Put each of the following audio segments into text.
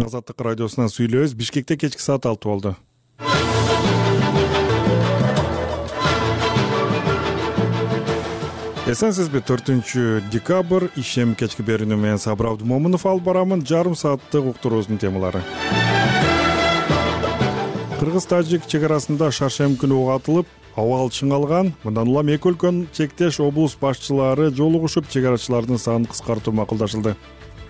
Азаттык радиосунан сүйлөбүз. Бишкекте кечки саат 6 болду. Эсенсизби? 4-декабрь ишем кечки берүүнү менен Сабыр Абдумомунов алып барамын. Жарым сааттык уктуруубуздун темалары. Кыргыз-тажик чек арасында шаршемби күнү ок атылып, абал чыңалган. Мындан улам эки өлкөнүн чектеш облус башчылары жолугушуп, чек арачылардын санын кыскартуу макулдашылды.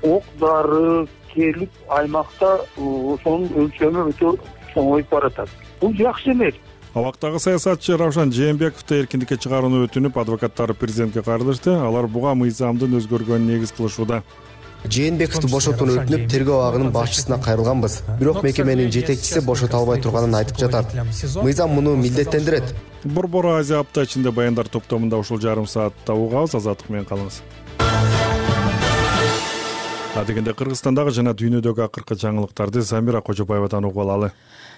Ок дары келип аймакта ошонун өлчөмү өтө чоңоюп баратат. Бул жакшы эмес. Абактагы саясатчы Равшан Жээнбековду эркиндикке чыгарууну өтүнүп, адвокаттары президентке кайрылышты. Алар буга мыйзамдын өзгөргөнүн негиз кылышууда. Жээнбековду бошотууну өтүнүп, тергөө абагынын башчысына кайрылганбыз. Бирок мекеменин жетекчиси бошото албай турганын айтып жатат. Мыйзам муну милдеттендирет. Борбор Азия апта ичинде баяндар топтомунда ушул жарым саатта угабыз. Азаттык менен калыңыз. Адегенде Кыргызстандагы жана дүйнөдөгү акыркы жаңылыктарды Замира Кожобаевадан угуп алалы.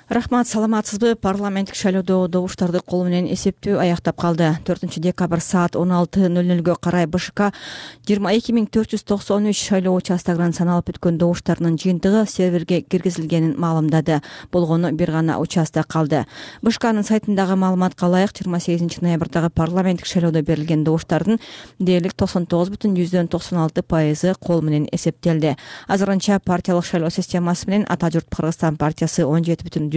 Рахмат, саламатсызбы? Парламенттик шайлоодо добуштарды кол менен эсептөө аяктап калды. 4-декабрь саат 16:00 карай БШК 22493 шайлоо участогунан саналып өткөн добуштардын жыйынтыгы серверге киргизилгенин маалымдады. Болгону бир гана участок калды. БШКнын сайтындагы маалыматка ылайык 28 ноябрдагы парламенттик шайлоодо берилген добуштардын дээрлик 99,96% кол менен эсептелди. Азырынча партиялык шайлоо системасы менен Ата журт Кыргызстан партиясы 17,31%,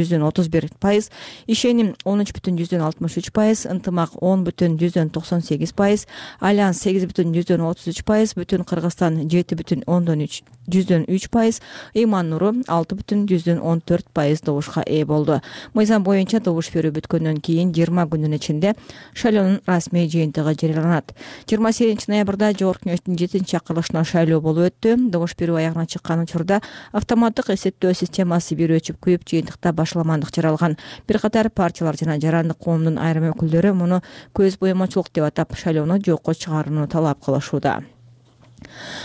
ишеним 13,63%, ынтымак 10,98%, Альянс 8,33%, Бүтүн Кыргызстан 7,3%, Ыйман Нуру 6,14% добушка ээ болду. Мыйзам боюнча добуш берүү бүткөндөн кийин 20 күнүн ичинде шайлоонун расмий жыйынтыгы жарыяланат. 28 ноябрда Жогорку Кеңештин 7-чакырылышына шайлоо болуп өттү. Добуш берүү аягына чыккан учурда автоматтык эсептөө системасы бир өчүп күйүп, жыйынтыкта башаламандык жаралган. Бир катар партиялар жана жарандык коомдун айрым өкүлдөрү муну көз боемочулук деп атап, шайлоону жокко чыгарууну талап кылышууда.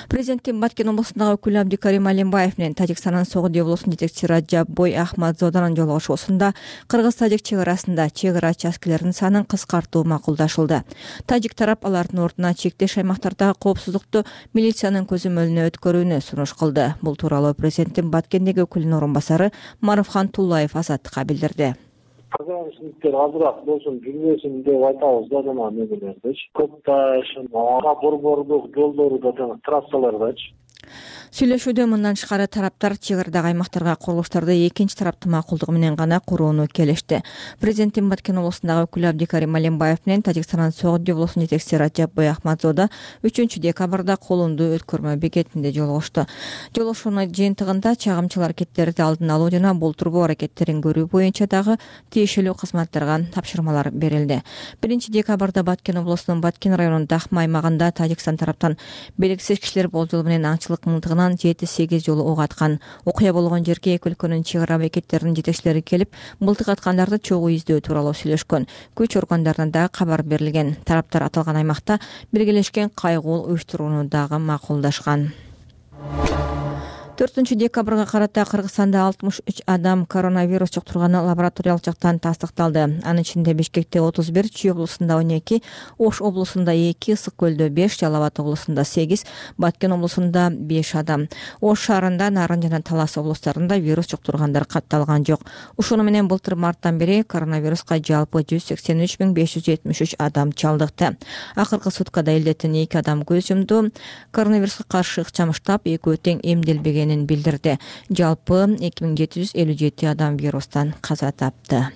Президенттин Баткен облусундагы өкүлү Абдикарим Алимбаев менен Тажикстандын Согуди облусунун жетекчиси Раджаб Бой Ахмадзоданын жолугушуусунда Кыргыз-тажик чек арасында чек ара участкелеринин санын кыскартуу макулдашылды. Тажик тарап алардын ордуна чектеш аймактардагы коопсуздукту милициянын көзөмөлүнө өткөрүүнү сунуш кылды. Бул тууралуу президенттин Баткендеги өкүлүнүн орун басары Маруфхан Туллаев Азаттыкка билдирди. Кыргызстандыктар азыраак болсун жүрбөсүн деп айтабыз да, жана немелердичи. Көпташ, борбордук жолдору да жана трассалардачы. Сүйлөшүүдө мындан тышкары тараптар чек арадагы аймактарга курулуштарды экинчи тараптын макулдугу менен гана курууну келишти. Президенттин Баткен облусундагы өкүлү Абдикарим Алимбаев менен Тажикстандын Согуди облусунун жетекчиси Раджаб Бой Ахмадзода 3-декабрда колунду өткөрмө бекетинде жолугушту. Жолугушуунун жыйынтыгында чагымчыл аракеттерди алдын алуу жана болтурбоо аракеттерин көрүү боюнча дагы тиешелүү кызматтарга тапшырмалар берилди. 1-декабрда Баткен облусунун Баткен районунун Дахма аймагында Тажикстан тараптан белгисиз кишилер болжол менен аңчылык мылтыгынан 7-8 жолу ок аткан. Окуя болгон жерге эки өлкөнүн чек ара бекеттеринин жетекчилери келип, мылтык аткандарды чогуу издөө тууралуу сүйлөшкөн. Күч органдарынан дагы кабар берилген. Тараптар аталган аймакта биргелешкен кайгуу уюштурууну дагы макулдашкан. 4-декабрга карата Кыргызстанда 63 адам коронавирус жуктурганы лабораториялык жактан тастыкталды. Анын ичинде Бишкекте 31, Чүй облусунда 12, Ош облусунда 2, Ысык көлдө 5, Жалал Абад облусунда 8, Баткен облусунда 5 адам. Ош шаарында, Нарын жана Талас облустарында вирус жуктургандар катталган жок. Ушуну менен былтыр марттан бери коронавируска жалпы 183,573 адам чалдыкты. Акыркы суткада элдеттен 2 адам көз жумду. Коронавируска каршы ыкчам штаб экөө тең эмделбеген билдирди. Жалпы 2757 адам вирустан каза тапты.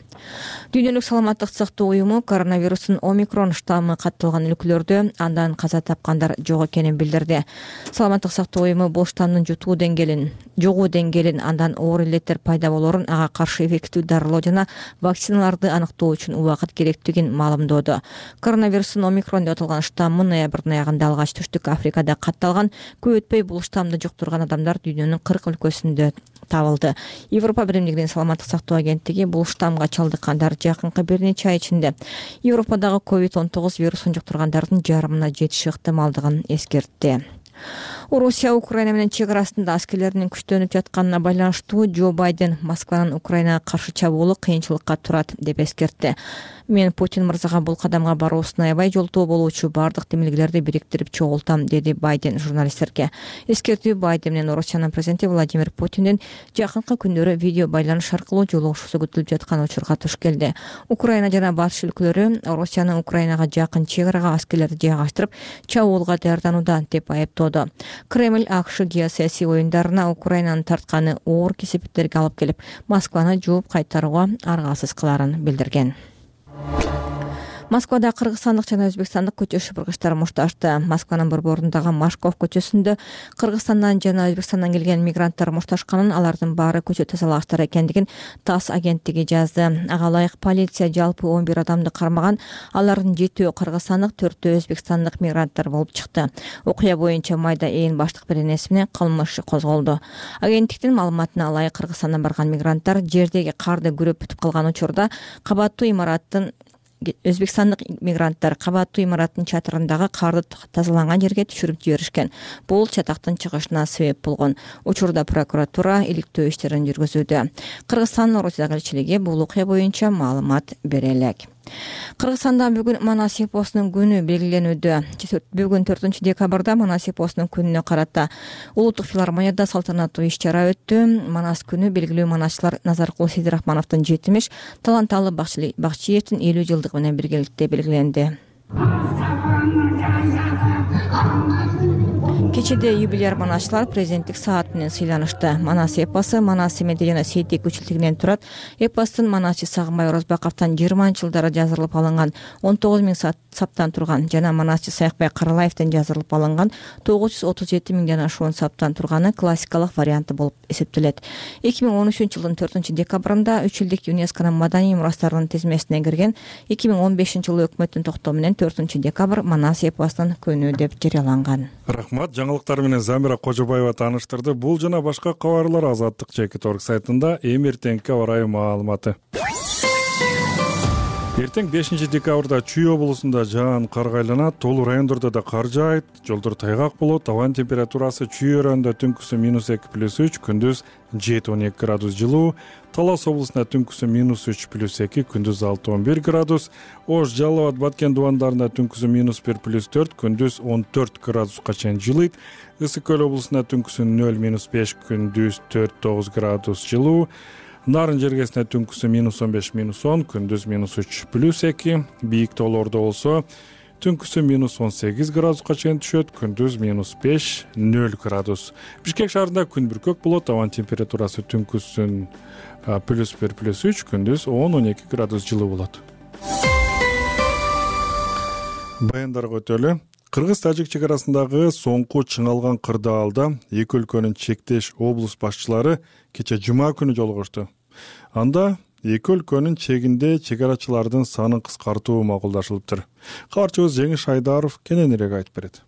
Дүйнөлүк саламаттык сактоо уюму коронавирустун омикрон штаммы катталган өлкөлөрдө андан каза тапкандар жок экенин билдирди. Саламаттык сактоо уюму бул штаммдын жугуу деңгээлин, андан оор илеттер пайда болоорун, ага каршы эффективдүү дарылоо жана вакциналарды аныктоо үчүн убакыт керектигин маалымдоодо. Коронавирустун омикрон деп аталган штаммы ноябрдын аягында алгач Түштүк Африкада катталган. Көп өтпөй бул штаммды жуктурган адамдар дүйнөнүн 40 өлкөсүндө табылды. Европа биримдигинин саламаттык сактоо агенттиги бул штаммга чалдыккандар жакынкы бир нече ай ичинде Европадагы COVID-19 вирусун жуктургандардын жарымына жетиши ыктымалдыгын эскертти. Орусия Украина менен чек арасында аскерлеринин күчтөнүп жатканына байланыштуу Джо Байден Москванын Украинага каршы чабуулу кыйынчылыкка турат деп эскертти. Мен Путин мырзага бул кадамга баруусун аябай жолтоо болуучу бардык демилгелерди бириктирип чогултам, деди Байден журналисттерге. Эскертүү Байден менен Орусиянын президенти Владимир Путиндин жакынкы күндөрү видео байланыш аркылуу жолугушуусу күтүлүп жаткан учурга туш келди. Украина жана батыш өлкөлөрү Орусиянын Украинага жакын чек арага аскерлерди жайгаштырып чабуулга даярданууда деп айыптоодо. Кремль АКШ геосаясий оюндарына Украинанын тартканы оор кесепеттерге алып келип, Москваны жооп кайтарууга аргасыз кыларын билдирген. Москвада кыргызстандык жана өзбекстандык көчө шыпыргычтар мушташты. Москванын борборундагы Машков көчөсүндө Кыргызстандан жана Өзбекстандан келген мигранттар мушташканын, алардын баары көчө тазалагычтар экендигин ТАСС агенттиги жазды. Ага ылайык полиция жалпы 11 адамды кармаган, алардын 7-өө кыргызстандык, 4-өө өзбекстандык мигранттар болуп чыкты. Окуя боюнча майда ээн баштык беренеси менен кылмыш козголду. Агенттиктин маалыматына ылайык Кыргызстандан барган мигранттар жердеги карды күрөп бүтүп калган учурда Өзбекстандык мигранттар кабаттуу имараттын чатырындагы карды тазаланган жерге түшүрүп жиберишкен. Бул чатактын чыгышына себеп болгон. Учурда прокуратура иликтөө иштерин жүргүзүүдө. Кыргызстандын Орусиядагы элчилиги бул окуя боюнча маалымат бере элек. Кыргызстанда бүгүн Манас эпосунун күнү белгиленүүдө. Бүгүн 4 декабрда Манас эпосунун күнүнө карата Улуттук филармонияда салтанаттуу иш-чара өттү. Манас күнү белгилүү манасчылар Назаркул Сейдирахмановдун 70, Таланталы Бакчиевдин 50 жылдыгы менен биргеликте белгиленди. Кечеде юбилейр манасчылар президенттик саат менен сыйланышты. Манас эпосу Манас Семеде жана Сейтек үчүлтүгүнөн турат. Эпостун манасчы Сагынбай Орозбаковдон 20-жылдары жазырылып алынган 19 000 саптан турган жана манасчы Саякбай Каралаевден жазырылып алынган 937 000 ашуун саптан турганы классикалык варианты болуп эсептелет. 2013-жылдын 4 декабрында 3 жылдык ЮНЕСКОнун маданий мурастарынын тизмесине кирген, 2015-жылы өкмөттүн токтоо менен 4 декабрь Манас эпосунун күнү деп жарыяланган. Рахмат, жаңылыктар менен Замира Кожобаева тааныштырды. Бул жана башка кабарлар Азаттык Чекит.org сайтында. Эртеңки орай маалыматы. Эртең 5 декабрда Чүй облусунда жаан карга айланат, тоолуу райондордо да кар жаайт, жолдор тайгак болот. Абанын температурасы Чүй районунда түнкүсү -2+3, күндүз 7-12 градус жылуу. Талас облусунда түнкүсү -3+2, күндүз 6-11 градус. Ош, Жалал абад, Баткен дубандарында түнкүсү -1+4, күндүз 14 градуска чейин жылыйт. Ысык көл облусунда түнкүсү 0-5, күндүз 4-9 градус жылуу. Нарын жергесинде түнкүсү -15-10, күндүз -3+2. Бийик тоолордо болсо түнкүсү -18 градуска чейин түшөт, күндүз -5-0 градус. Бишкек шаарында күн бүркөк болот, абанын температурасы түнкүсүн +1+3, күндүз 10-12 градус жылуу болот. Баяндарга өтөлү. Кыргыз-тажик чек арасындагы соңку чыңалган кырдаалда эки өлкөнүн чектеш облус башчылары кече жума күнү жолугушту. Анда эки өлкөнүн чегинде чек арачылардын санын кыскартуу макулдашылыптыр. Кабарчыбыз Жеңиш Айдаров кененирээк айтып берет.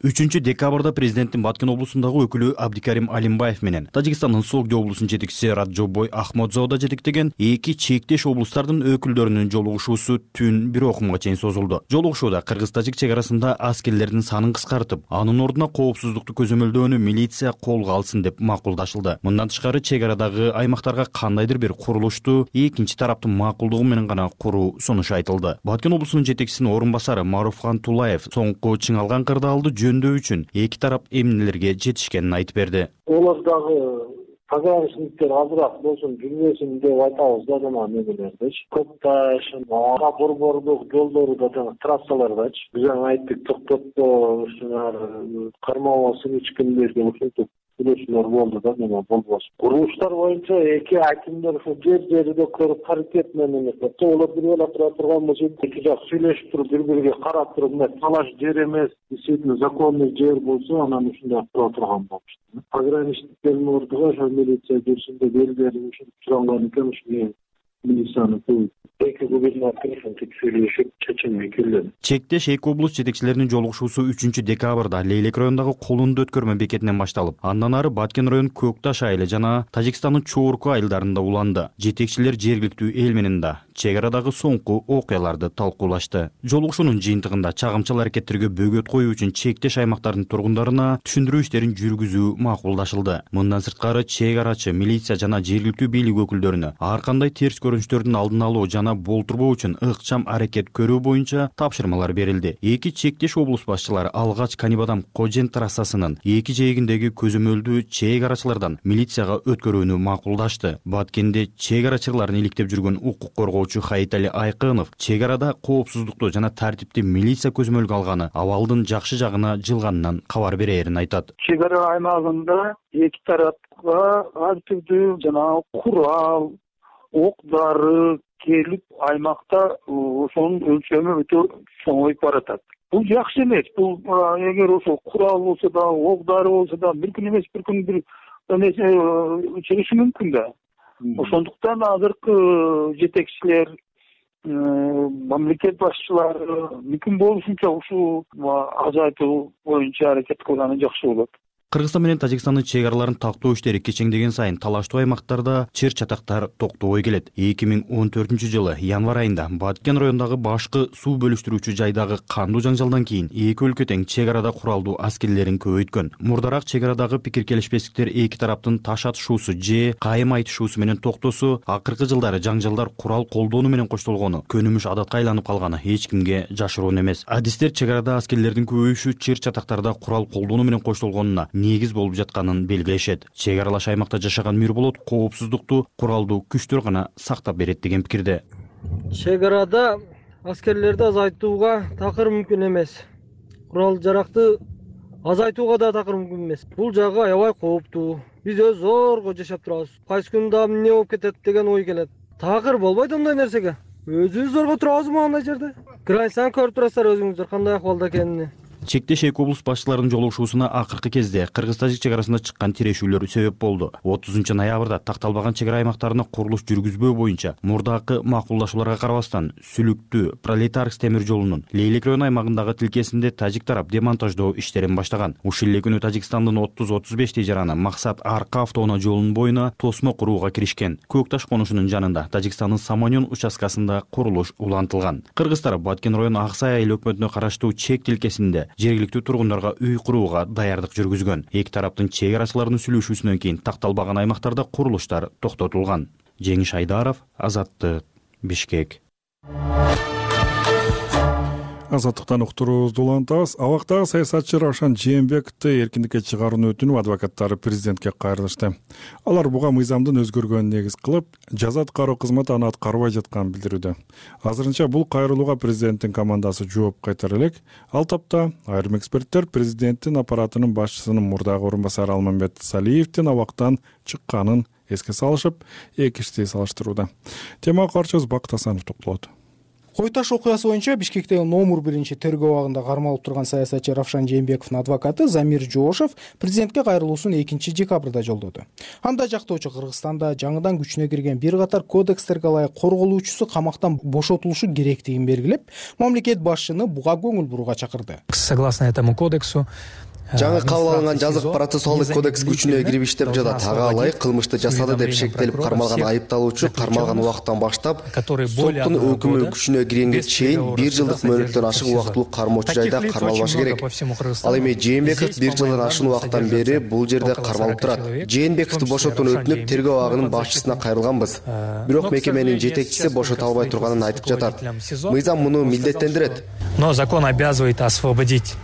3 декабрда президенттин Баткен облусундагы өкүлү Абдикарим Алимбаев менен Тажикстандын Согди облусунун жетекчиси Раджобой Ахмадзода жетектеген эки чектеш облустардын өкүлдөрүнүн жолугушуусу түн 1 окумга чейин созулду. Жолугушууда кыргыз-тажик чек арасында аскерлердин санын кыскартып, анын ордуна коопсуздукту көзөмөлдөөнү милиция колго алсын деп макулдашылды. Мындан тышкары чек арадагы аймактарга кандайдыр бир курулушту экинчи тараптын макулдугу менен гана куруу сунушу айтылды. Баткен облусунун жетекчисинин орун басары Маруфхан Тулаев соңку чыңалган кырдаалды жөндөө үчүн эки тарап эмнелерге жетишкенин айтып берди. Олар дагы пограничниктер азыраак болсун жүрбөсүн деп айтабыз да, жана немелердечи. Көкташ, борбордук жолдору да, трассалардачы. Биз айттык токтотпо, ушулар кармабасын ичкиндер деп ушинтип сүйлөшүүлөр болду да, неме болбосун. Курулуштар боюнча эки акимдер ушул жер-жерде көрүп паритет менен эметти. Олар бир эле тура турган болсо, эки жак сүйлөшүп туруп, бири-бириге карап туруп, талаш жер эмес, действительно законный жер болсо, анан ушундай тура турган болчу. Пограничниктердин ордуга ошо милиция жүрсүн деп элдерин ушинтип суранган экен, ушуну милицияныкы эки губернатор антип сүйлөшүп чечимге келди. Чектеш эки облус жетекчилеринин жолугушуусу 3-декабрда Лейлек районундагы Колунду өткөрмө бекетинен башталып, андан ары Баткен район Көкташ айылы жана Тажикстандын Чоорку айылдарында уланды. Жетекчилер жергиликтүү эл менен да чек арадагы соңку окуяларды талкуулашты. Жолугушуунун жыйынтыгында чагымчыл аракеттерге бөгөт коюу үчүн чектеш аймактардын тургундарына түшүндүрүү иштерин жүргүзүү макулдашылды. Мындан сырткары чек арачы, милиция жана жергиликтүү бийлик өкүлдөрүнө ар кандай терс көрүнүштөрдүн алдын алуу жана болтурбоо үчүн ыкчам аракет көрүү боюнча тапшырмалар берилди. Эки чектеш облус башчылары алгач Канибадам Кожен трассасынын эки жээгиндеги көзөмөлдүү чек арачылардан милицияга өткөрүүнү макулдашты. Баткенде чек арачыларын иликтеп жүргөн укук коргоочу Хаитали Айкынов чек арада коопсуздукту жана тартипти милиция көзөмөлгө алганы абалдын жакшы жагына жылганынан кабар берээрин айтат. Чек ара аймагында эки тарапка ар түрдүү жана курал, ок-дары келип аймакта ошонун өлчөмү өтө чоңоюп баратат. Бул жакшы эмес. Бул эгер ошо курал болсо да, ок-дары болсо да, бир күн эмес, бир күн бир чыгышы мүмкүн да. Ошондуктан азыркы жетекчилер, мамлекет башчылары мүмкүн болушунча ушул азайтуу боюнча аракет кылганы жакшы болот. Кыргызстан менен Тажикстандын чек араларын тактоо иштери кечеңдеген сайын талаштуу аймактарда чыр чатактар токтобой келет. 2014-жылы январь айында Баткен районундагы башкы суу бөлүштүрүүчү жайдагы кандуу жаңжалдан кийин эки өлкө тең чек арада куралдуу аскерлерин көбөйткөн. Мурдараак чек арадагы пикир келишпестиктер эки тараптын таш атышуусу же кайым айтышуусу менен токтосо, акыркы жылдары жаңжалдар курал колдонуу менен коштолгону көнүмүш адатка айланып калганы эч кимге жашыруун эмес. Адистер чек арада аскерлердин көбөйүшү чыр чатактарда курал колдонуу менен коштолгонуна негиз болуп жатканын белгилешет. Чек аралаш аймакта жашаган Мирболот коопсуздукту куралдуу күчтөр гана сактап берет деген пикирде. Чек арада аскерлерди азайтууга такыр мүмкүн эмес. Курал жаракты азайтууга да такыр мүмкүн эмес. Бул жагы аябай кооптуу. Биз өз зорго жашап турабыз. Кайсы күн да эмне болуп кетет деген ой келет. Такыр болбойт андай нерсеге. Өзүбүз зорго турабызбы андай жерде? Границаны көрүп турасыздар өзүңүздөр кандай акыбалда экенин. Чектеш эки облус башчыларынын жолугушуусуна акыркы кезде кыргыз-тажик чек арасында чыккан тирешүүлөр себеп болду. 30-ноябрда такталбаган чек ара аймактарына курулуш жүргүзбөө боюнча мурдакы макулдашууларга карабастан Сүлүктүү Пролетарск темир жолунун Лейлек району аймагындагы тилкесинде тажик тарап демонтаждоо иштерин баштаган. Ушул эле күнү Тажикстандын 30-35 тежараны Максат Арка автоунаа жолунун боюна тосмо курууга киришкен. Көкташ конушунун жанында Тажикстандын Саманён участкасында курулуш улантылган. Кыргыздар Баткен району Аксай айыл өкмөтүнө караштуу чек тилкесинде жергиликтүү тургундарга үй курууга даярдык жүргүзгөн. Эки тараптын чек арачыларынын сүйлөшүүсүнөн кийин такталбаган аймактарда курулуштар токтотулган. Жеңиш Айдаров, Азаттык, Бишкек. Азаттыктан уктуруубузду улантабыз. Абактагы саясатчы Равшан Жээнбековду эркиндикке чыгарууну өтүнүп, адвокаттары президентке кайрылышты. Алар буга мыйзамдын өзгөргөнүн негиз кылып, жаза аткаруу кызматы аны аткарбай жатканын билдирүүдө. Азырынча бул кайрылууга президенттин командасы жооп кайтара элек. Ал тапта айрым эксперттер президенттин аппаратынын башчысынын мурдагы орун басары Алмамбет Салиевдин абактан чыкканын эске салышып, эки ишти салыштырууда. Темага карчыбыз Бакыт Асанов токтолот. Кой таш окуясы боюнча Бишкектеги номер 1 тергөө абагында кармалып турган саясатчы Равшан Жээнбековдун адвокаты Замир Жоошев президентке кайрылуусун 2-декабрда жолдоду. Анда жактоочу Кыргызстанда жаңыдан күчүнө кирген бир катар кодекстерге ылайык корголуучусу камактан бошотулушу керектигин белгилеп, мамлекет башчыны буга көңүл бурууга чакырды. Согласно этому кодексу жаңы кабыл алынган жазык процессуалдык кодекс күчүнө кирип иштеп жатат. Ага ылайык кылмышты жасады деп шектелип кармалган айыпталуучу кармалган убакыттан баштап соттун өкүмү күчүнө киргенге чейин 1 жылдык мөөнөттөн ашык убактылуу кармоочу жайда кармалбашы керек. Ал эми Жээнбеков 1 жылдан ашуун убакыттан бери бул жерде кармалып турат. Жээнбековду бошотууну өтүнүп, тергөө абагынын башчысына кайрылганбыз. Бирок мекеменин жетекчиси бошото албай турганын айтып жатат. Мыйзам муну милдеттендирет. Но закон обязывает освободить.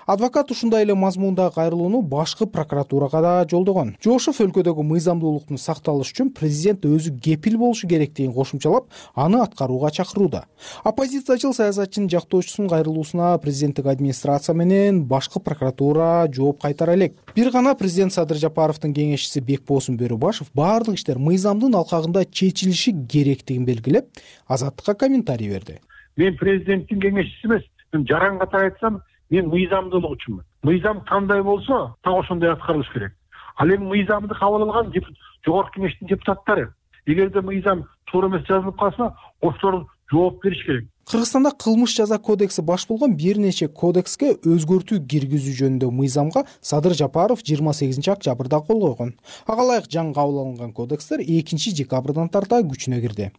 Адвокат ушундай эле мазмундагы кайрылууну башкы прокуратурага да жолдогон. Жоошев өлкөдөгү мыйзамдуулуктун сакталышы үчүн президент өзү кепил болушу керектигин кошумчалап, аны аткарууга чакырууда. Оппозициячыл саясатчынын жактоочусунун кайрылуусуна президенттик администрация менен башкы прокуратура жооп кайтара элек. Бир гана президент Садыр Жапаровдун кеңешчиси Бекбосун Бөрөбашев баардык иштер мыйзамдын алкагында чечилиши керектигин белгилеп, Азаттыкка комментарий берди. Мен президенттин кеңешчиси эмес, мен жаран катары айтсам, мен мыйзамдуулук үчүнмүн. Мыйзам кандай болсо, так ошондой аткарылыш керек. Ал эми мыйзамды кабыл алган жогорку кеңештин депутаттары. эгерде мыйзам туура эмес жазылып калса, ошолор жооп бериш керек. Кыргызстанда кылмыш жаза кодекси баш болгон бир нече кодекске өзгөртүү киргизүү жөнүндө мыйзамга Садыр Жапаров 28-октябрда кол койгон. Ага ылайык жаңы кабыл алынган кодекстер 2-декабрдан тарта күчүнө кирди.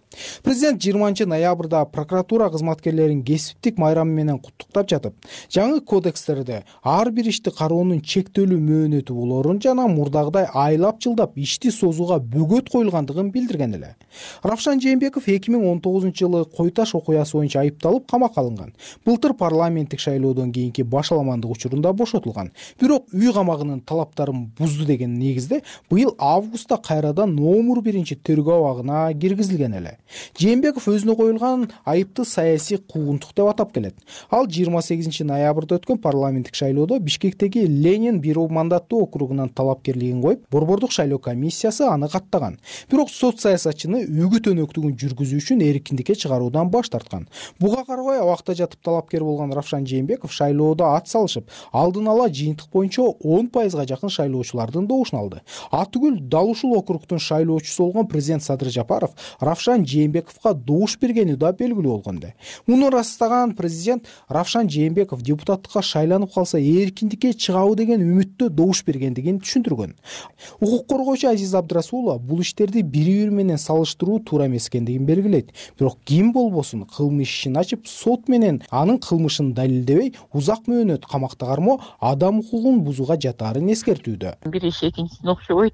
Президент 20-ноябрда прокуратура кызматкерлерин кесиптик майрамы менен куттуктап жатып, жаңы кодекстерде ар бир ишти кароонун чектелүү мөөнөтү болорун жана мурдагыдай айлап жылдап ишти созууга бөгөт коюлгандыгын билдирген эле. Равшан Жээнбеков 2019-жылы Кой Таш окуясы боюнча айыпталып камакка алынган. Былтыр парламенттик шайлоодон кийинки башаламандык учурунда бошотулган. Бирок үй камагынын талаптарын бузду деген негизде быйыл августта кайрадан номер 1-тергөө абагына киргизилген эле. Жээнбеков өзүнө коюлган айыпты саясий куугунтук деп атап келет. Ал 28-ноябрда өткөн парламенттик шайлоодо Бишкектеги Ленин бирок мандаттуу округунан талапкерлигин коюп, Борбордук шайлоо комиссиясы аны каттаган. Бирок сот саясатчыны үгүт өнөктүгүн жүргүзүү үчүн эркиндикке чыгаруудан баш тарткан. Буга карабай абакта жатып талапкер болгон Равшан Жээнбеков шайлоодо ат салышып, алдын ала жыйынтык боюнча 10%га жакын шайлоочулардын добушун алды. Атүгүл дал ушул округдун шайлоочусу болгон президент Садыр Жапаров Равшан Жээнбековго добуш бергени да белгилүү болгонду. Муну ырастаган президент Равшан Жээнбеков депутаттыкка шайланып калса эркиндикке чыгабы деген үмүттө добуш бергендигин түшүндүргөн. Укук коргоочу Азиз Абдрасулова бул иштерди бири-бири менен салыштыруу туура эмес экендигин белгилейт. Бирок ким болбосун кылмыш ишин ачып, сот менен анын кылмышын далилдебей, узак мөөнөт камакта кармоо адам укугун бузууга жатаарын эскертүүдө. Бир иш экинчисине окшобойт.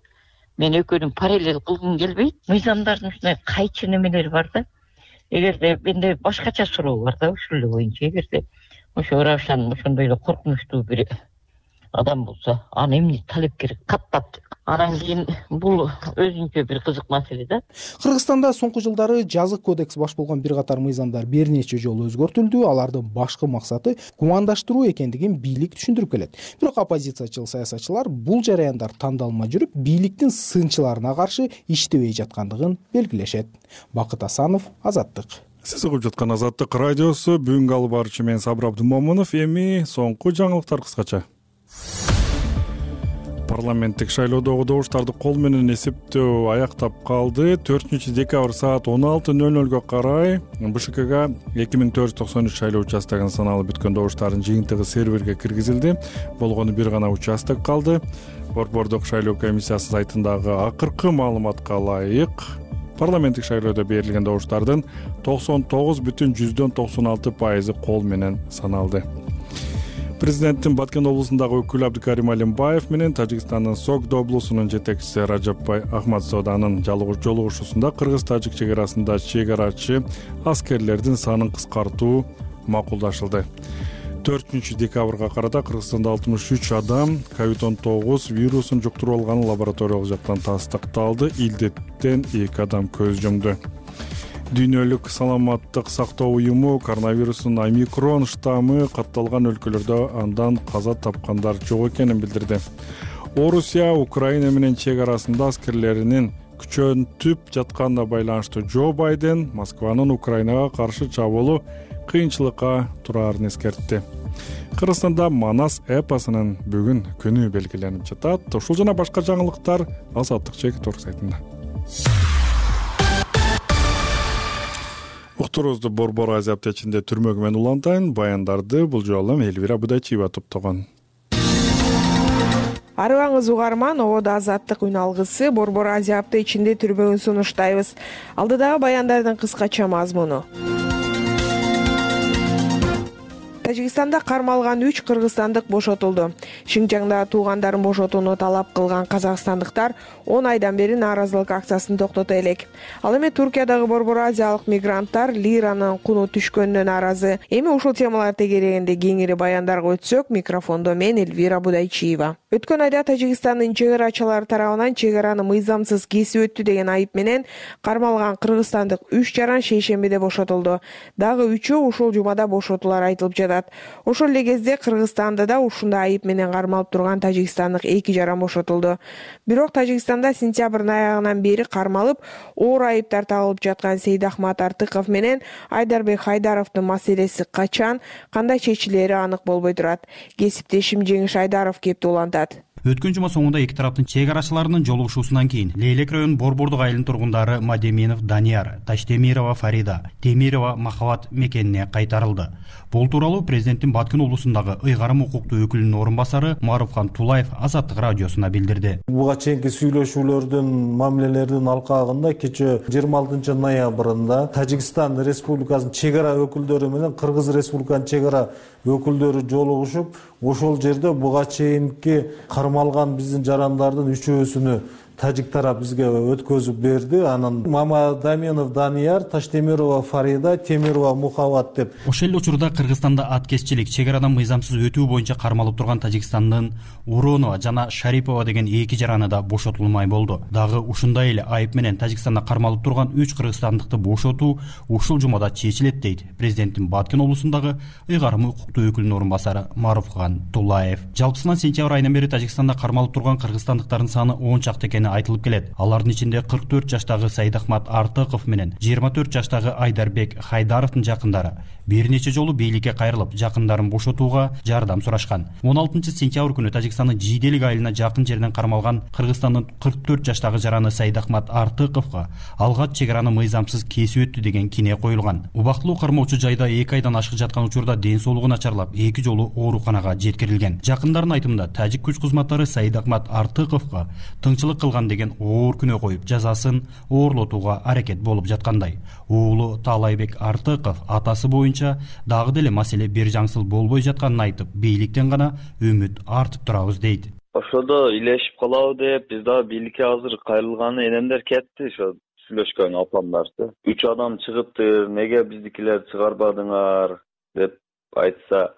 Мен экөөнүн параллел кылгым келбейт. Мыйзамдардын ушундай кайчы немелери бар да. Эгерде менде башкача суроо бар да ушул эле боюнча. Эгерде ошо Равшан ошондой эле коркунучтуу бир адам болсо, аны эмне талапкер каттап, анан кийин бул өзүнчө бир кызык маселе да. Кыргызстанда соңку жылдары жазык кодекс баш болгон бир катар мыйзамдар бир нече жолу өзгөртүлдү. Алардын башкы максаты гумандаштыруу экендигин бийлик түшүндүрүп келет. Бирок оппозициячыл саясатчылар бул жараяндар тандалмай жүрүп, бийликтин сынчыларына каршы иштебей жаткандыгын белгилешет. Бакыт Асанов, Азаттык. Сиз угуп жаткан Азаттык радиосу. Бүгүнкү алып баруучу мен Сабыр Абдымомунов. Эми соңку жаңылыктар кыскача. Парламенттик шайлоодогу добуштарды кол менен эсептөө аяктап калды. 4-декабрь саат 16:00 карай БШКга 2493 шайлоо участогунун саналып бүткөн добуштардын жыйынтыгы серверге киргизилди. Болгону бир гана участок калды. Борбордук шайлоо комиссиясы сайтындагы акыркы маалыматка ылайык парламенттик шайлоодо берилген добуштардын 99,96% кол менен саналды. Президенттин Баткен облусундагы өкүлү Абдикарим Алимбаев менен Тажикстандын Согдо облусунун жетекчиси Раджапбай Ахмадзоданын жолугушуусунда кыргыз-тажик чек арасында чек-арачы аскерлердин санын кыскартуу макулдашылды. 4-декабрга карата Кыргызстанда 63 адам COVID-19 вирусун жуктуруп алганы лабораториялык жактан тастыкталды. Илдеттен 2 адам көз жумду. Дүйнөлүк саламаттык сактоо уюму коронавирустун омикрон штаммы катталган өлкөлөрдө андан каза тапкандар жок экенин билдирди. Орусия Украина менен чек арасында аскерлеринин күчөнтүп жатканына байланыштуу Джо Байден Москванын Украинага каршы чабуулу кыйынчылыкка тураарын эскертти. Кыргызстанда Манас эпосунун бүгүн күнү белгиленип жатат. Ушул жана башка жаңылыктар Азаттык чек сайтында. Уктуруубузду Борбор Азия аптечинде түрмөгү менен улантайын. Баяндарды бул жолу Элвира Будайчиева топтогон. Арыбаңыз угарман, ободо Азаттык үн алгысы Борбор Азия аптечинде түрмөгүн сунуштайбыз. Алдыдагы баяндардын кыскача мазмуну. Тажикстанда кармалган 3 кыргызстандык бошотулду. Шинжаңда туугандарын бошотууну талап кылган казакстандыктар 10 айдан бери нааразылык акциясын токтото элек. Ал эми Туркиядагы борбор азиялык мигранттар лиранын куну түшкөнүнө нааразы. Эми ушул темалар тегерегинде кеңири баяндарга өтсөк, микрофондо мен Элвира Будайчиева. Өткөн айда Тажикстандын чек арачылары тарабынан чек араны мыйзамсыз кесип өттү деген айып менен кармалган кыргызстандык 3 жаран шейшембиде бошотулду. Дагы 3-өө ушул жумада бошотулар айтылып жатат. Ошол эле кезде Кыргызстанда да ушундай айып менен кармалып турган тажикстандык 2 жаран бошотулду. Бирок Тажикстанда сентябрдын аягынан бери кармалып, оор айыптар тагылып жаткан Сейдахмат Артыков менен Айдарбек Хайдаровдун маселеси качан, кандай чечилери анык болбой турат. Кесиптешим Жеңиш Айдаров кеп улантат. Өткөн жума соңунда эки тараптын чек арачыларынын жолугушуусунан кийин Лейлек районунун Борбордук айылынын тургундары Мадеминов Данияр, Таштемирова Фарида, Темирова Махабат мекенине кайтарылды. Бул тууралуу президенттин Баткен облусундагы ыйгарым укуктуу өкүлүнүн орун басары Маруфхан Тулаев Азаттык радиосуна билдирди. Буга чейинки сүйлөшүүлөрдүн, мамилелердин алкагында кечээ 26 ноябрында Тажикстан Республикасынын чек ара өкүлдөрү менен Кыргыз Республикасынын чек ара өкүлдөрү жолугушуп, ошол жерде буга чейинки кармалган биздин жарандардын үчөөсүнү тажик тарап бизге өткөзүп берди. Анан Мамадаминов Данияр, Таштемирова Фарида, Темирова Мухабат деп. Ошол эле учурда Кыргызстанда аткезчилик, чек арадан мыйзамсыз өтүү боюнча кармалып турган Тажикстандын Уронова жана Шарипова деген эки жараны да бошотулмай болду. Дагы ушундай эле айып менен Тажикстанда кармалып турган 3 кыргызстандыкты бошотуу ушул жумада чечилет дейт президенттин Баткен облусундагы ыйгарым укуктуу өкүлүнүн орун басары Маруфхан Тулаев. Жалпысынан сентябрь айынан бери Тажикстанда кармалып турган кыргызстандыктардын саны 10 чакты экени айтылып келет. Алардын ичинде 44 жаштагы Сайдахмат Артыков менен 24 жаштагы Айдарбек Хайдаровдун жакындары бир нече жолу бийликке кайрылып, жакындарын бошотууга жардам сурашкан. 16 сентябрь күнү Тажикстандын Жийделик айылына жакын жерден кармалган Кыргызстандын 44 жаштагы жараны Сайдахмат Артыковго алгач чек араны мыйзамсыз кесип өттү деген кине коюлган. Убактылуу кармоочу жайда 2 айдан ашык жаткан учурда ден соолугу начарлап, 2 жолу ооруканага жеткирилген. Жакындардын айтымында тажик күч кызматтары Сайдахмат Артыковго тыңчылык кылган деген оор күнөө коюп, жазасын оорлотууга аракет болуп жаткандай. Уулу Таалайбек Артыков атасы боюнча дагы деле маселе бир жаңсыл болбой жатканын айтып, бийликтен гана үмүт артып турабыз дейт. Ошодо илешип калабы деп, биз дагы бийликке азыр кайрылганы энемдер кетти, ошо сүйлөшкөн апамдарчы. 3 адам чыгыптыр, неге биздикилер чыгарбадыңар деп айтса,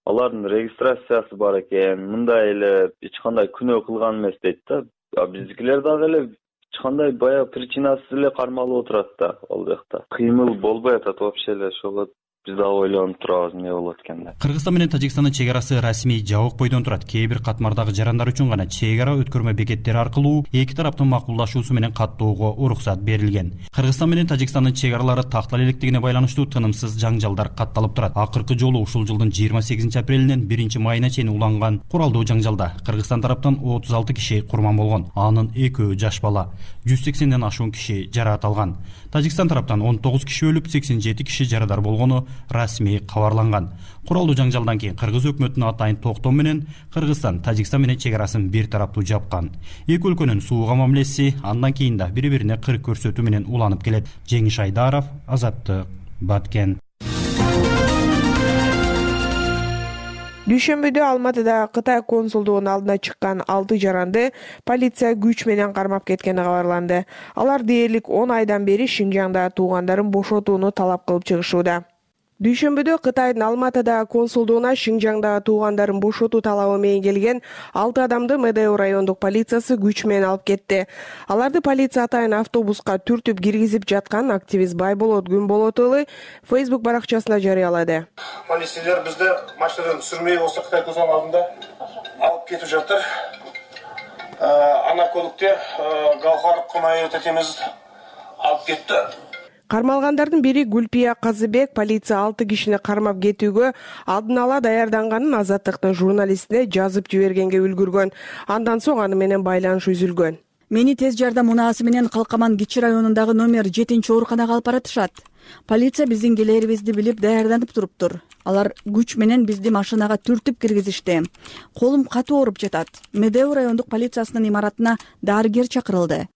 алардын регистрациясы бар экен, мындай эле эч кандай күнөө кылган эмес дейт да. Биздикилер дагы эле эч кандай баягы причинасыз эле кармалып отурат да, ал жакта. Кыймыл болбой атат вообще эле, ошого биз да ойлонуп турабыз эмне болот экен деп. Кыргызстан менен Тажикстандын чек арасы расмий жабык бойдон турат. Кээ бир катмардагы жарандар үчүн гана чек ара өткөрмө бекеттери аркылуу эки тараптын макулдашуусу менен каттоого уруксат берилген. Кыргызстан менен Тажикстандын чек аралары тактала электигине байланыштуу тынымсыз жаңжалдар катталып турат. Акыркы жолу ушул жылдын 28 апрелинен 1 майына чейин уланган куралдуу жаңжалда Кыргызстан тараптан 36 киши курман болгон. Анын 2 жаш бала, 180ден ашуун киши жараат алган. Тажикстан тараптан 19 киши өлүп, 87 киши жарадар болгону расмий кабарланган. Куралдуу жаңжалдан кийин Кыргыз өкмөтүнүн атайын токтоо менен Кыргызстан Тажикстан менен чек арасын бир тараптуу жапкан. Эки өлкөнүн сууга мамилеси андан кийин да бири-бирине кырк көрсөтүү менен уланып келет. Жеңиш Айдаров, Азаттык, Баткен. Дүйшөмбүдө Алматыда Кытай консулдугунун алдына чыккан 6 жаранды полиция күч менен кармап кеткени кабарланды. Алар дээрлик 10 айдан бери Шинжаңда туугандарын бошотууну талап кылып чыгышууда. Дүйшөмбүдө Кытайдын Алматыда консулдугуна Шинжаңдагы туугандарын бошотуу талабы менен келген 6 адамды Медео райондук полициясы күч менен алып кетти. Аларды полиция атайын автобуска түртүп киргизип жаткан активист Байболот Күнболотулы Facebook баракчасында жарыялады. Полицейлер бизди машинадан сүрмөй болсо Кытай консулдугунун алдында алып кетип жатыр. Ана көлүктө Гаухар Кумай тетемиз алып кетти. Кармалгандардын бири Гүлпия Казыбек полиция 6 кишини кармап кетүүгө алдын ала даярданганын Азаттыктын журналистине жазып жибергенге үлгүргөн. Андан соң аны менен байланыш үзүлгөн. Мени тез жардам унаасы менен Калкаман Кичи районундагы номер 7 ооруканага алып баратышат. Полиция биздин келээрибизди билип даярданып туруптур. Алар күч менен бизди машинага түртүп киргизишти. Колум катуу ооруп жатат. Медео райондук полициясынын имаратына дарыгер чакырылды,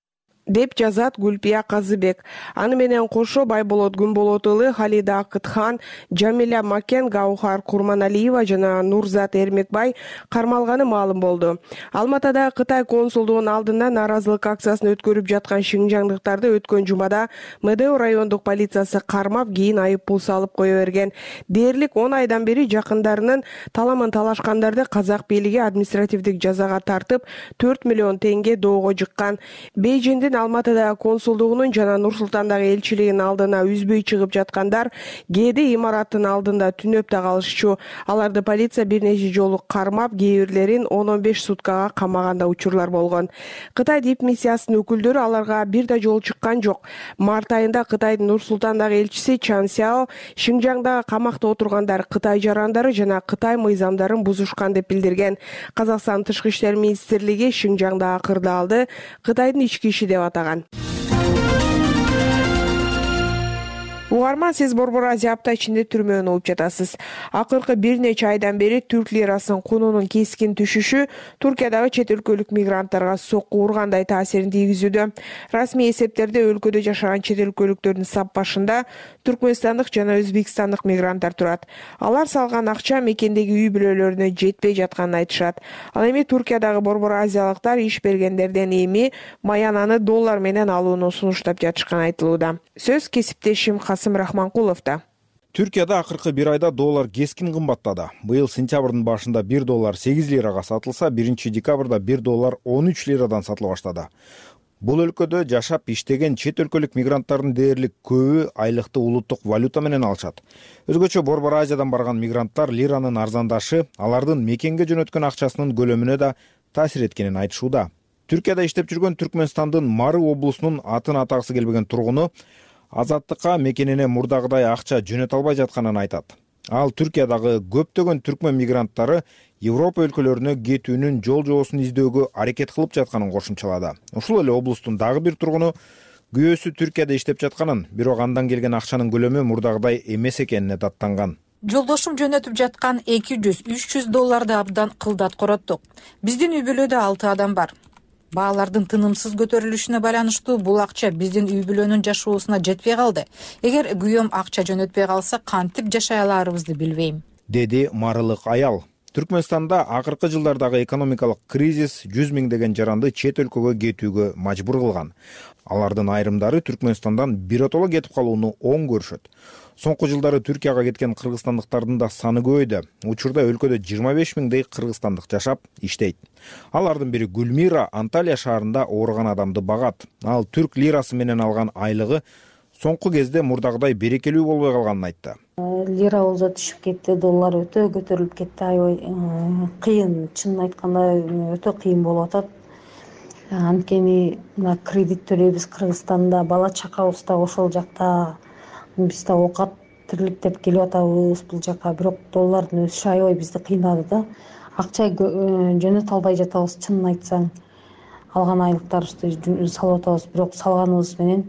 деп жазат Гүлпия Казыбек. Аны менен кошо Байболот Күнболотулы, Халида Акытхан, Жамиля Макен, Гаухар Курманалиева жана Нурзат Эрмекбай кармалганы маалым болду. Алматыда Кытай консулдугунун алдында нааразылык акциясын өткөрүп жаткан шинжаңдыктарды өткөн жумада Медео райондук полициясы кармап, кийин айып пул салып кое берген. Дээрлик 10 айдан бери жакындарынын таламын талашкандарды казак бийлиги административдик жазага тартып 4 миллион теңге доого жыккан. Бейжиңдин Кытайдын Алматыдагы консулдугунун жана Нур Султандагы элчилигинин алдына үзбөй чыгып жаткандар кээде имараттын алдында түнөп да калышчу. Аларды полиция бир нече жолу кармап, кээ бирлерин 10-15 суткага камаганда учурлар болгон. Кытай дипмиссиясынын өкүлдөрү аларга бир да жолу чыккан жок. Март айында Кытайдын Нур Султандагы элчиси Чан Сяо Шинжаңдагы камакта отургандар Кытай жарандары жана Кытай мыйзамдарын бузушкан деп билдирген. Казакстан Тышкы иштер министрлиги Шинжаңдагы кырдаалды Кытайдын ички иши деп атаган. Угарман, сиз Борбор Азия апта ичинде түрмөнү угуп жатасыз. Акыркы бир нече айдан бери түрк лирасынын кунунун кескин түшүшү Туркиядагы чет өлкөлүк мигранттарга сокку ургандай таасирин тийгизүүдө. Расмий эсептерде өлкөдө жашаган чет өлкөлүктөрдүн сап башында түркмөнстандык жана өзбекстандык мигранттар турат. Алар салган акча мекендеги үй бүлөлөрүнө жетпей жатканын айтышат. Ал эми Туркиядагы борбор азиялыктар иш бергендерден эми маянаны доллар менен алууну сунуштап жатышканы айтылууда. Сөз кесиптешим Рахманкуловда. Түркияда акыркы бир айда доллар кескин кымбаттады. Быйыл сентябрдын башында 1 доллар 8 лирага сатылса, 1 декабрда 1 доллар 13 лирадан сатыла баштады. Бул өлкөдө жашап иштеген чет өлкөлүк мигранттардын дээрлик көбү айлыкты улуттук валюта менен алышат. Өзгөчө Борбор Азиядан барган мигранттар лиранын арзандашы алардын мекенге жөнөткөн акчасынын көлөмүнө да таасир эткенин айтышууда. Түркияда иштеп жүргөн Түркмөнстандын Мары облусунун атын атагысы келбеген тургуну Азаттыкка мекенине мурдагыдай акча жөнөтө албай жатканын айтат. Ал Түркиядагы көптөгөн түркмөн мигранттары Европа өлкөлөрүнө кетүүнүн жол жоосун издөөгө аракет кылып жатканын кошумчалады. Ушул эле облустун дагы бир тургуну күйөөсү Түркияда иштеп жатканын, бирок андан келген акчанын көлөмү мурдагыдай эмес экенине даттанган. Жолдошум жөнөтүп жаткан 200-300 долларды абдан кылдат короттук. Биздин үй бүлөдө 6 адам бар. Баалардын тынымсыз көтөрүлүшүнө байланыштуу бул акча биздин үй бүлөнүн жашоосуна жетпей калды. Эгер күйөөм акча жөнөтпөй калса, кантип жашай аларыбызды билбейм, деди марылык аял. Түркмөнстанда акыркы жылдардагы экономикалык кризис 100 миңдеген жаранды чет өлкөгө кетүүгө мажбур кылган. Алардын айрымдары Түркмөнстандан биротоло кетип калууну оң көрүшөт. Соңку жылдары Түркияга кеткен кыргызстандыктардын да саны көбөйдү. Учурда өлкөдө 25 миңдей кыргызстандык жашап, иштейт. Алардын бири Гүлмира Анталия шаарында ооруган адамды багат. Ал түрк лирасы менен алган айлыгы соңку кезде мурдагыдай берекелүү болбой калганын айтты. Лира болсо түшүп кетти, доллар өтө көтөрүлүп кетти. Аябай кыйын, чынын айтканда өтө кыйын болуп атат. Анткени мына кредит төлөйбүз Кыргызстанда, бала чакабыз да ошол жакта. Биз да оокат тирликтеп келип атабыз бул жака, бирок доллардын өсүшү аябай бизди кыйнады да. Акча жөнөтө албай жатабыз, чынын айтсаң. Алган айлыктарыбызды салып атабыз, бирок салганыбыз менен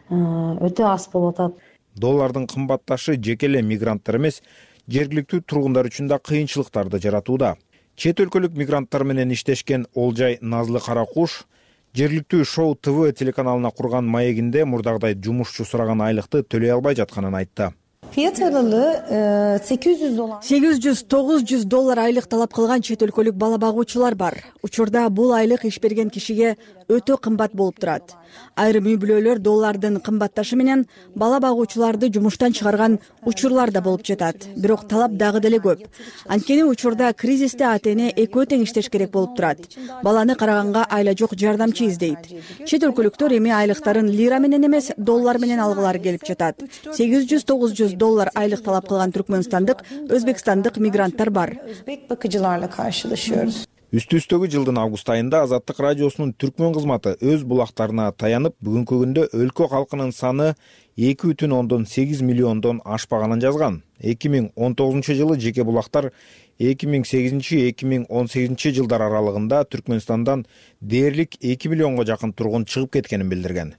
өтө аз болуп атат. Доллардын кымбатташы жеке эле мигранттар эмес, жергиликтүү тургундар үчүн да кыйынчылыктарды жаратууда. Чет өлкөлүк мигранттар менен иштешкен Олжай Назлы Каракуш жергиликтүү Шоу ТВ телеканалына курган маегинде мурдагыдай жумушчу сураган айлыкты төлөй албай жатканын айтты. Фиат аралыгы 800-900 доллар айлык талап кылган чет өлкөлүк бала багуучулар бар. Учурда бул айлык иш берген кишиге өтө кымбат болуп турат. Айрым үй бүлөлөр доллардын кымбатташы менен бала багуучуларды жумуштан чыгарган учурлар да болуп жатат. Бирок талап дагы деле көп. Анткени учурда кризисте ата-эне экөө тең иштеш керек болуп турат. Баланы караганга айла жок жардамчы издейт. Чет өлкөлүктөр эми айлыктарын лира менен эмес, доллар менен алгылары келип жатат. 800-900 доллар айлык талап кылган түркмөнстандык, өзбекстандык мигранттар бар. Өзбек bakıcılarla karşılaşıyoruz. Үстүстөгү жылдын август айында Азаттык радиосунун түркмөн кызматы өз булактарына таянып, бүгүнкү күндө өлкө калкынын саны 2,8 миллиондон ашпаганын жазган. 2019 жылы жеке булактар 2008-2018 жылдар аралыгында Түркмөнстандан дээрлик 2 миллионго жакын тургун чыгып кеткенин билдирген.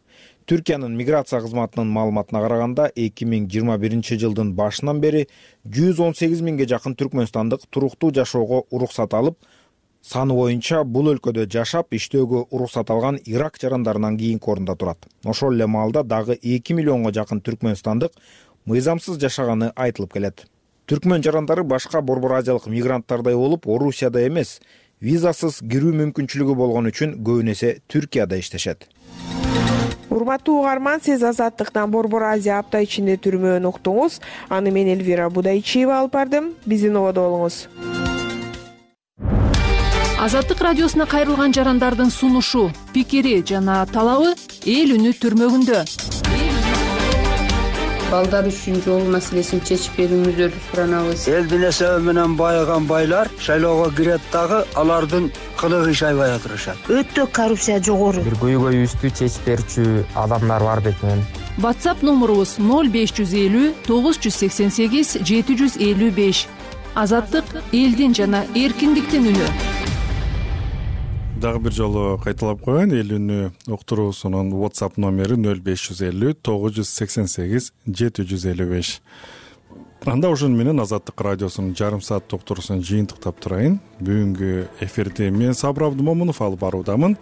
Түркиянын миграция кызматынын маалыматына караганда 2021 жылдын башынан бери 118 миңге жакын түркмөнстандык туруктуу жашоого уруксат алып, саны боюнча бул өлкөдө жашап иштөөгө уруксат алган Ирак жарандарынан кийинки орунда турат. Ошол эле маалда дагы 2 миллионго жакын түркмөнстандык мыйзамсыз жашаганы айтылып келет. Түркмөн жарандары башка борбор азиялык мигранттардай болуп, Орусияда эмес, визасыз кирүү мүмкүнчүлүгү болгон үчүн көбүн эсе Түркияда иштешет. Урматтуу угарман, сиз Азаттыктан Борбор Азия апта ичинде түрмөөнү уктуңуз. Аны мен Элвира Будайчиева алып бардым. Биздин ободо болуңуз. Азаттык радиосуна кайрылган жарандардын сунушу, пикири жана талабы эл үнү түрмөгүндө. Балдар үчүн жол маселесин чечип берүүңүздөрдү суранабыз. Элдин эсеби менен байыган байлар шайлоого кирет дагы алардын кылыгы иш аябай атырышат. Өтө коррупция жогору. Бир көйгөйүбүздү чечип берүүчү адамдар бар бекен. WhatsApp номурубуз 0550 988 755. Азаттык элдин жана эркиндиктин үнү. Дагы бир жолу кайталап коеюн. Эл үнү уктуруусунун WhatsApp номери 0550 988 755. Анда ошону менен Азаттык радиосунун жарым саат уктуруусун жыйынтыктап турайын. Бүгүнкү эфирди мен Сабыр Абдымомунов алып баруудамын.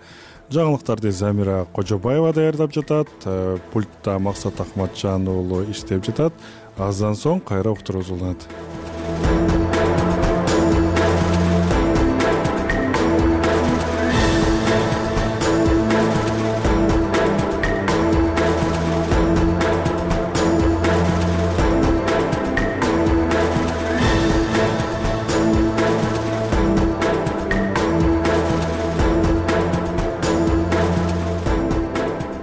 Жаңылыктарды Замира Кожобаева даярдап жатат. Пультта Максат Акматжан уулу иштеп жатат. Аздан соң кайра уктуруубуз уланат.